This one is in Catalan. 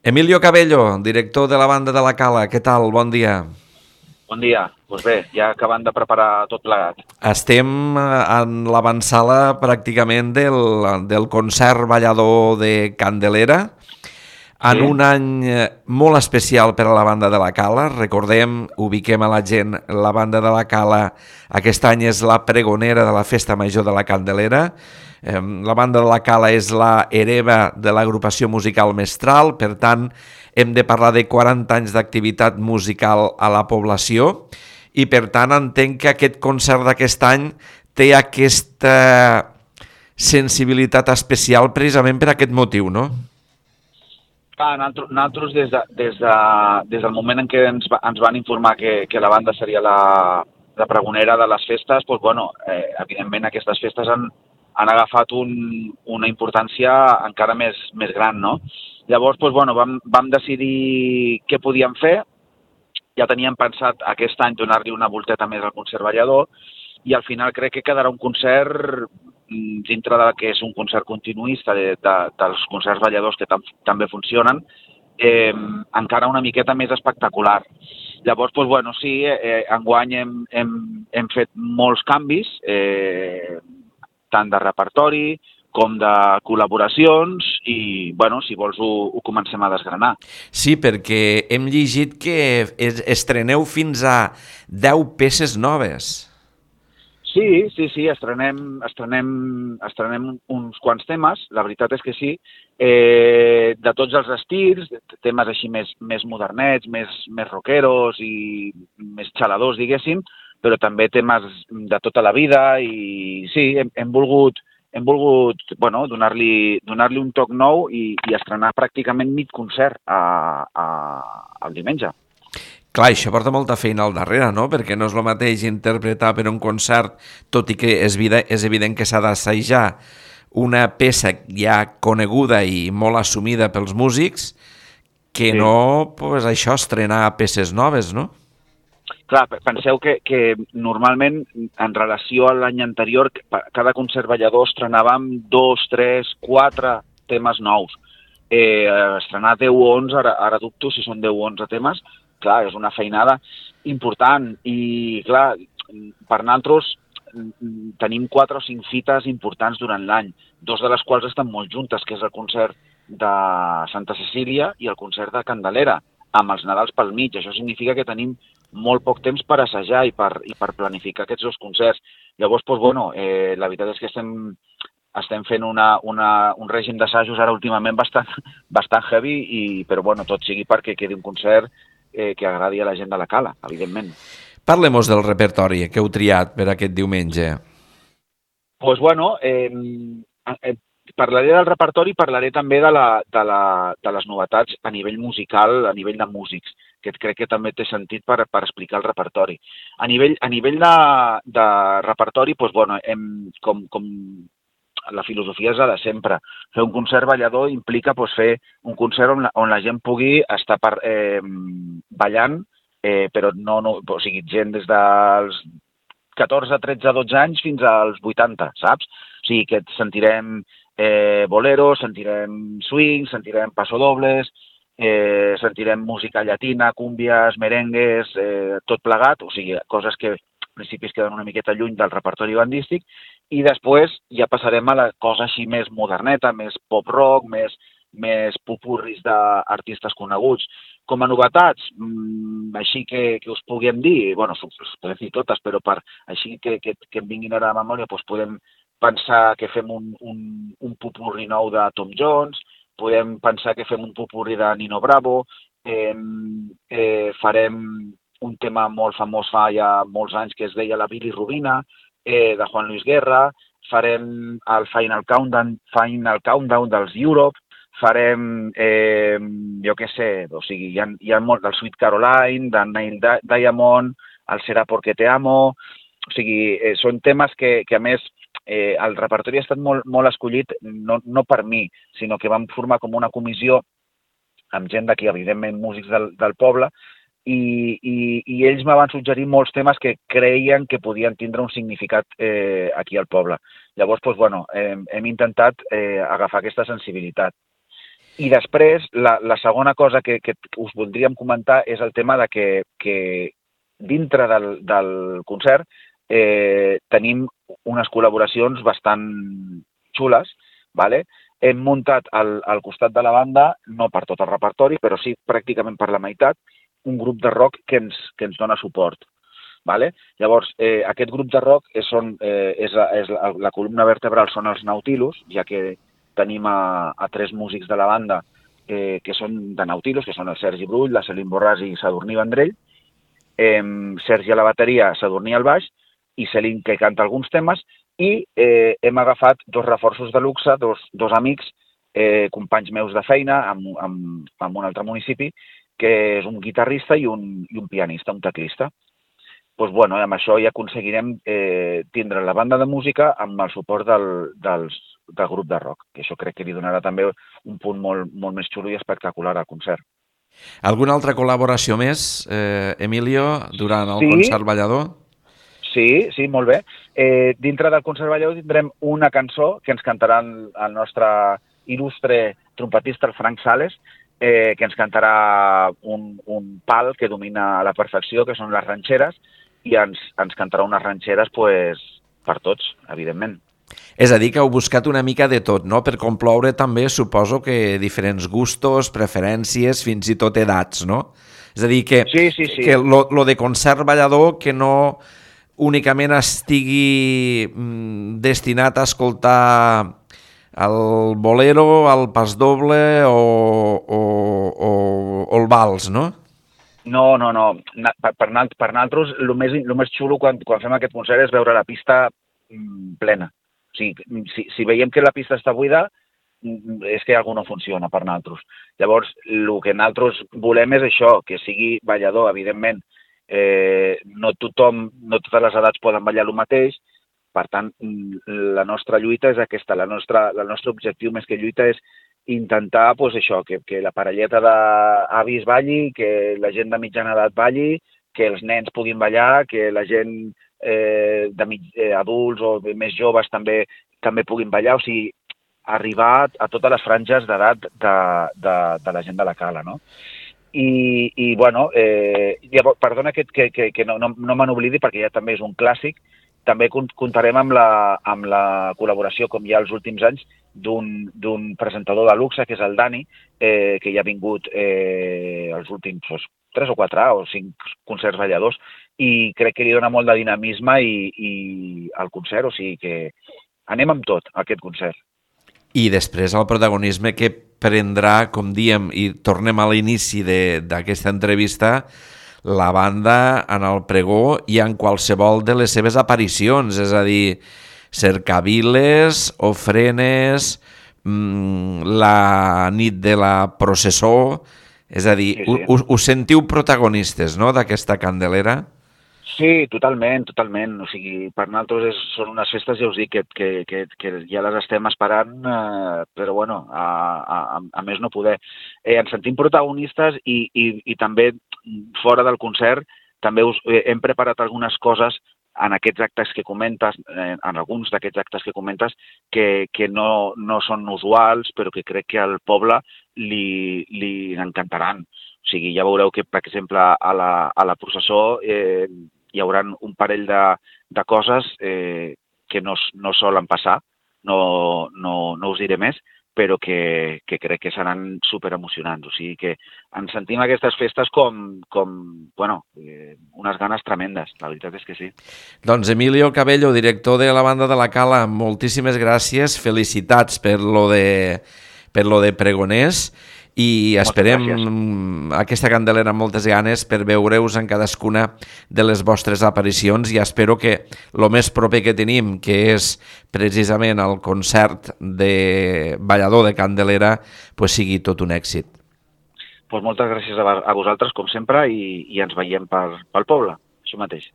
Emilio Cabello, director de la banda de la Cala, què tal? Bon dia. Bon dia. Doncs bé, ja acabant de preparar tot plegat. Estem en l'avançala pràcticament del concert ballador de Candelera, en Sí? un any molt especial per a la banda de la Cala. Recordem, ubiquem a la gent, la banda de la Cala aquest any és la pregonera de la Festa Major de la Candelera. La banda de la Cala és la hereva de l'agrupació musical Mestral, per tant, hem de parlar de 40 anys d'activitat musical a la població i, per tant, entenc que aquest concert d'aquest any té aquesta sensibilitat especial precisament per aquest motiu, no? Clar, nosaltres des del moment en què ens van informar que la banda seria la pregonera de les festes, doncs, bueno, evidentment aquestes festes han agafat una importància encara més gran, no? Llavors, doncs, bueno, vam decidir què podíem fer. Ja teníem pensat aquest any donar-li una volteta més al concert ballador i al final crec que quedarà un concert dintre del que és un concert continuista dels concerts balladors que també funcionen, encara una miqueta més espectacular. Llavors, doncs, bueno, sí, enguany hem fet molts canvis, tant de repertori com de col·laboracions i, bueno, si vols ho comencem a desgranar. Sí, perquè hem llegit que estreneu fins a 10 peces noves. Sí, estrenem uns quants temes, la veritat és que sí, de tots els estils, temes així més modernets, més rockeros i més xaladors, diguéssim, però també temes de tota la vida i sí, hem volgut bueno, donar-li un toc nou i estrenar pràcticament mig concert el diumenge. Clar, això porta molta feina al darrere, no? Perquè no és el mateix interpretar per un concert, tot i que és evident que s'ha d'assajar una peça ja coneguda i molt assumida pels músics, que Sí. no, pues això, estrenar peces noves, no? Clar, penseu que normalment, en relació a l'any anterior, cada concert ballador estrenàvem 2, 3, 4 temes nous. Estrenar 10 o 11, ara dubto si són 10 o 11 temes, clar, és una feinada important. I, clar, per nosaltres tenim 4 o 5 fites importants durant l'any, dos de les quals estan molt juntes, que és el concert de Santa Cecília i el concert de Candelera, amb els Nadals pel mig. Això significa que tenim molt poc temps per assajar i per planificar aquests dos concerts. Llavors, doncs, bueno, la veritat és que estem fent un règim d'assajos ara últimament bastant heavy, però bueno, tot sigui perquè quedi un concert que agradi a la gent de la Cala, evidentment. Parlem-nos del repertori que heu triat per aquest diumenge. Doncs bueno, parlaré del repertori, parlaré també de les novetats a nivell musical, a nivell de músics, que crec que també té sentit per explicar el repertori. A nivell de repertori, doncs, bueno, com la filosofia és la de sempre. Fer un concert ballador implica doncs, fer un concert on la gent pugui estar ballant, però no, o sigui, gent des dels 14, 13, 12 anys fins als 80, saps? O sigui que sentirem boleros, sentirem swing, sentirem pasodobles, sentirem música llatina, cúmbies, merengues, tot plegat, o sigui, coses que en principi es queden una miqueta lluny del repertori bandístic, i després ja passarem a la cosa així més moderneta, més pop-rock, més popurris d'artistes coneguts. Com a novetats, així que us puguem dir, bueno, us podem dir totes, però així que em vinguin ara a la memòria, doncs podem pensar que fem un popurri nou de Tom Jones, podem pensar que fem un popurri de Nino Bravo, farem un tema molt famós fa ja molts anys que es deia La Bilirrubina, de Juan Luis Guerra, farem el Final Countdown dels Europe, farem, jo què sé, o sigui, hi ha molt del Sweet Caroline, de Neil Diamond, el Será porque te amo, o sigui, són temes que a més, el repertori ha estat molt escollit, no per mi, sinó que vam formar com una comissió amb gent d'aquí, evidentment músics del poble, i ells me van suggerir molts temes que creien que podien tindre un significat aquí al poble. Llavors, doncs, bueno, hem intentat agafar aquesta sensibilitat. I després, la segona cosa que us voldríem comentar és el tema de que dintre del concert tenim unes col·laboracions bastant xules, ¿vale? Hem muntat al costat de la banda, no per tot el repertori, però sí pràcticament per la meitat, un grup de rock que ens dona suport. ¿Vale? Llavors, aquest grup de rock és la columna vertebral són els Nautilus, ja que tenim a 3 músics de la banda que són de Nautilus, que són el Sergi Brull, la Celine Borràs i Sadurní Vendrell, Sergi a la bateria, Sadurní al baix, i Celine que canta alguns temes, i hem agafat 2 reforços de luxe, dos amics, companys meus de feina, en un altre municipi, que és un guitarrista i un pianista, un teclista. Doncs, bueno, amb això ja aconseguirem tindre la banda de música amb el suport del grup de rock, que això crec que li donarà també un punt molt més xulo i espectacular al concert. Alguna altra col·laboració més, Emilio, durant el concert ballador? Sí, molt bé. Dintre del concert ballador tindrem una cançó que ens cantarà el nostre il·lustre trompetista, el Frank Sales, que ens cantarà un pal que domina a la perfecció, que són les ranxeres, i ens cantarà unes ranxeres per tots, evidentment. És a dir, que heu buscat una mica de tot, no? Per comploure també, suposo que diferents gustos, preferències, fins i tot edats, no? És a dir, que lo de concert ballador que no únicament estigui destinat a escoltar el bolero, el pasdoble o el vals, no? No. Per nosaltres, el més xulo quan fem aquest concert és veure la pista plena. O sigui, si veiem que la pista està buida, és que alguna no funciona per nosaltres. Llavors, el que nosaltres volem és això, que sigui ballador, evidentment. No totes les edats poden ballar el mateix, per tant, la nostra lluita és aquesta. El nostre objectiu més que lluita és intentar això, que la parelleta d'avis balli, que la gent de mitjana edat balli, que els nens puguin ballar, que la gent adults o més joves també puguin ballar, o sigui, arribar a totes les franges d'edat de la gent de la cala, no? I bueno, perdona que no me n'oblidi perquè ja també és un clàssic, també comptarem amb la col·laboració, com ja els últims anys, d'un presentador de luxe, que és el Dani, que ja ha vingut els últims 3 o 4 o 5 concerts balladors, i crec que li dona molt de dinamisme al concert, o sigui que anem amb tot, a aquest concert. I després el protagonisme que prendrà, com diem, i tornem a l'inici d'aquesta entrevista, la banda en el pregó i en qualsevol de les seves aparicions, és a dir, cercaviles, ofrenes, la nit de la processó, és a dir, sí. Us sentiu protagonistes, no?, d'aquesta Candelera? Sí, totalment. O sigui, per nosaltres són unes festes, ja us dic, que ja les estem esperant, però bueno, a més no poder. Ens sentim protagonistes i també fora del concert també hem preparat algunes coses en aquests actes que comentes, en alguns d'aquests actes que comentes, que no són usuals, però que crec que al poble li encantaran. O sigui, ja veureu que, per exemple, a la processó hi haurà un parell de coses que no solen passar, no us diré més, però que crec que seran superemocionants. O sigui que ens sentim aquestes festes com unes ganes tremendes, la veritat és que sí. Doncs Emilio Cabello, director de la banda de la Cala, moltíssimes gràcies, felicitats per lo de pregoners, i esperem aquesta Candelera amb moltes ganes per veure-us en cadascuna de les vostres aparicions, i espero que el més proper que tenim, que és precisament el concert de ballador de Candelera, sigui tot un èxit. Moltes gràcies a vosaltres, com sempre, i ens veiem pel poble, això mateix.